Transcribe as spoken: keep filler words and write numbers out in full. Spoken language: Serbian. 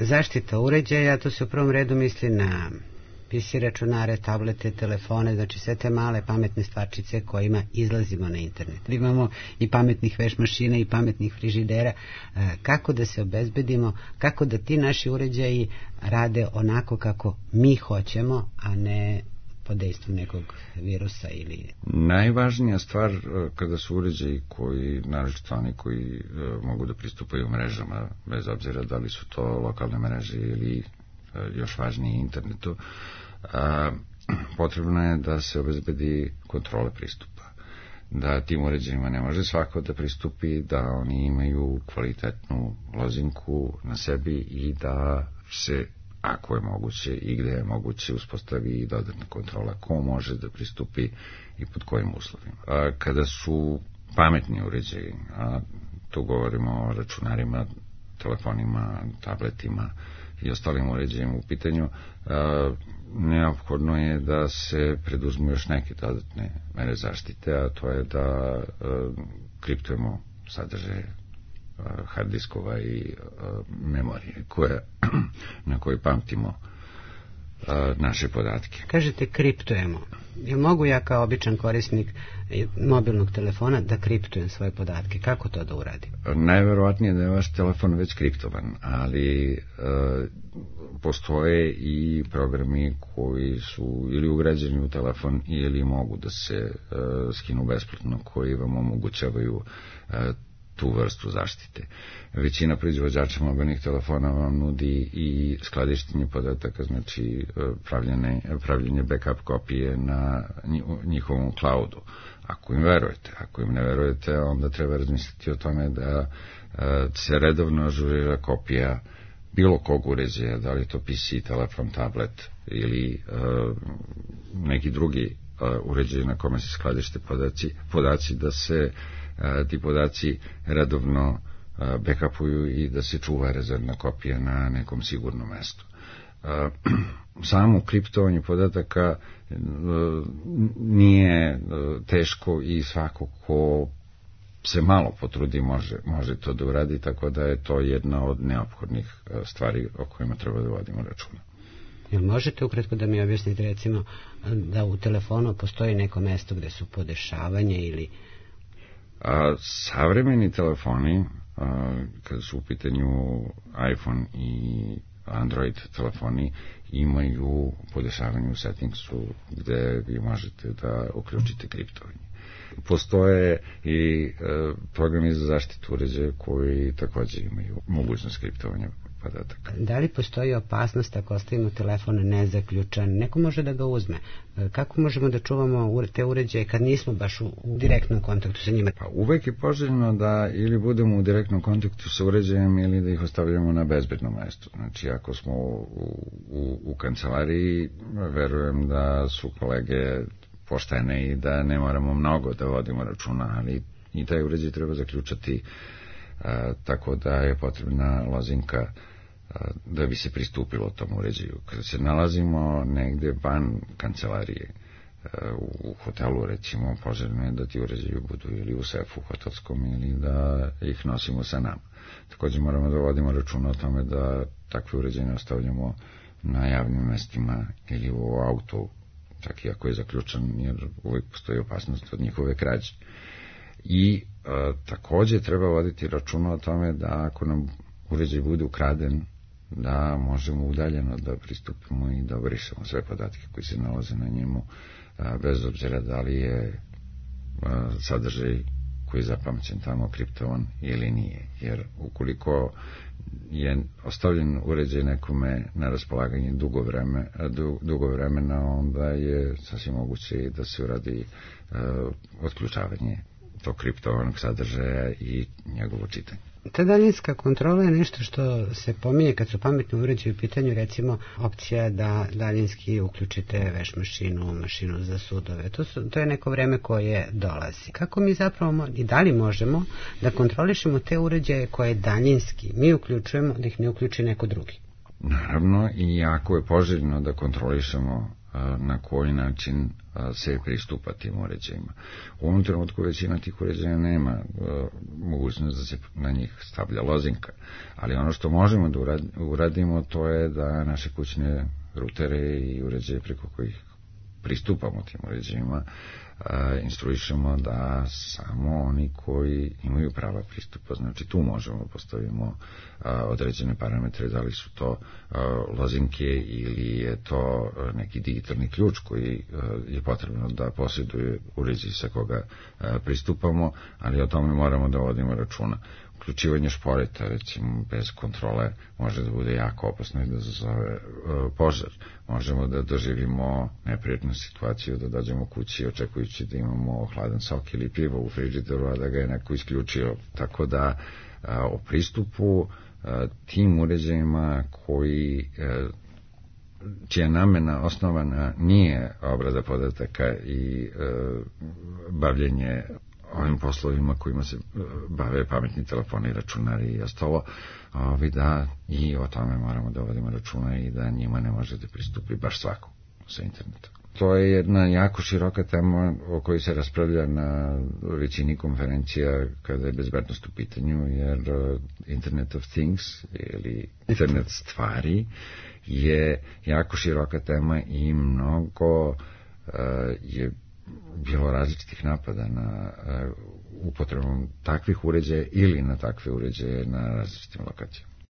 zaštita uređaja, to se u prvom redu misli na P C računare, tablete, telefone, znači sve te male pametne stvarčice kojima izlazimo na internet. Imamo i pametnih veš mašina i pametnih frižidera. Kako da se obezbedimo, kako da ti naši uređaji rade onako kako mi hoćemo, a ne pod dejstvom nekog virusa ili... Najvažnija stvar kada su uređaji koji, naročito oni koji mogu da pristupaju mrežama, bez obzira da li su to lokalne mreže ili još važnije internetu, a, potrebno je da se obezbedi kontrole pristupa. Da tim uređajima ne može svako da pristupi, da oni imaju kvalitetnu lozinku na sebi i da se, ako je moguće i gde je moguće, uspostavi i dodatna kontrola ko može da pristupi i pod kojim uslovima. A, kada su pametni uređaji, a tu govorimo o računarima, telefonima, tabletima i ostalim uređajima u pitanju, a, neophodno je da se preduzmu još neke dodatne mere zaštite, a to je da a, kriptujemo sadržaje hard diskova i a, memorije koje, na koje pamtimo a, naše podatke. Kažete kriptujemo. Jel mogu ja kao običan korisnik mobilnog telefona da kriptujem svoje podatke? Kako to da uradim? Najverovatnije da je vaš telefon već kriptovan, ali a, postoje i programi koji su ili ugrađeni u telefon ili mogu da se a, skinu besplatno, koji vam omogućavaju a, tu vrstu zaštite. Većina proizvođača mobilnih telefona vam nudi i skladištenje podataka, znači pravljene, pravljenje backup kopije na njihovom cloudu. Ako im verujete, ako im ne verujete, onda treba razmisliti o tome da se redovno ažurira kopija bilo kog uređaja, da li to P C, telefon, tablet ili neki drugi uređaj na kome se skladište podaci, podaci da se ti podaci redovno backupuju i da se čuva rezervna kopija na nekom sigurnom mestu. Samo kriptovanje podataka nije teško i svako ko se malo potrudi može, može to da uradi, tako da je to jedna od neophodnih stvari o kojima treba da vodimo računa. Jel možete ukratko da mi objasnite recimo da u telefonu postoji neko mesto gde su podešavanje ili... A, savremeni telefoni, a, kada su u pitanju iPhone i Android telefoni, imaju podešavanje u settingsu gde vi možete da uključite kriptovanje. Postoje i e, programi za zaštitu uređaja koji takođe imaju mogućnost kriptovanja podataka. Da li postoji opasnost ako ostavimo telefon nezaključan? Neko može da ga uzme. Kako možemo da čuvamo te uređaje kad nismo baš u, u direktnom kontaktu sa njima? Pa uvek je poželjno da ili budemo u direktnom kontaktu sa uređajem ili da ih ostavljamo na bezbednom mestu. Znači ako smo u, u, u kancelariji, verujem da su kolege poštene i da ne moramo mnogo da vodimo računa, ali i taj uređaj treba zaključati a, tako da je potrebna lozinka a, da bi se pristupilo tom uređaju. Kada se nalazimo negde van kancelarije, a, u hotelu recimo, poželjno je da ti uređaji budu ili u sefu hotelskom ili da ih nosimo sa nama. Također moramo da vodimo računa o tome da takve uređaje ne ostavljamo na javnim mestima ili u autu, čak i ako je zaključan, jer uvijek postoji opasnost od njihove krađe. I a, također treba voditi računa o tome da ako nam uređaj bude ukraden, da možemo udaljeno da pristupimo i da obrišemo sve podatke koji se nalaze na njemu, a, bez obzira da li je a, sadržaj koji je zapamćen tamo kriptovan ili nije. Jer ukoliko je ostavljen uređaj nekome na raspolaganje dugo, vreme, dugo vremena, onda je sasvim moguće da se uradi uh, otključavanje tog kriptovanog sadržaja i njegovo čitanje. Ta daljinska kontrola je nešto što se pominje kad su pametni uređaji u pitanju, recimo opcija da daljinski uključite veš mašinu, mašinu za sudove. To, su, to je neko vreme koje dolazi. Kako mi zapravo i da li možemo da kontrolišemo te uređaje koje daljinski mi uključujemo, da ih ne uključi neko drugi? Naravno, i jako je poželjno da kontrolišemo na koji način se pristupa tim uređajima. U ovom trenutku većina tih uređaja nema mogućnost da se na njih stavlja lozinka, ali ono što možemo da uradimo to je da naše kućne rutere i uređaje preko kojih pristupamo tim uređajima instruišemo da samo oni koji imaju prava pristupa, znači tu možemo postavimo određene parametre, da li su to lozinke ili je to neki digitalni ključ koji je potrebno da posjeduje uređaj sa koga pristupamo, ali o tome moramo da vodimo računa. Uključivanje šporeta, recimo, bez kontrole može da bude jako opasno i da zazove uh, požar. Možemo da doživimo neprijatnu situaciju, da dođemo kući očekujući da imamo hladan sok ili pivo u frižideru, a da ga je neko isključio. Tako da uh, o pristupu uh, tim uređajima koji uh, čija namena osnovana nije obrada podataka i uh, bavljenje ovim poslovima kojima se bave pametni telefoni, računari i ostalo, ovi da i o tome moramo da vodimo računa i da njima ne može da pristupi baš svako sa internetom. To je jedna jako široka tema o kojoj se raspravlja na većini konferencija kada je bezbednost u pitanju, jer Internet of Things ili internet stvari je jako široka tema i mnogo uh, je bilo različitih napada na uh, upotrebom takvih uređaja ili na takve uređaje na različitim lokacijama.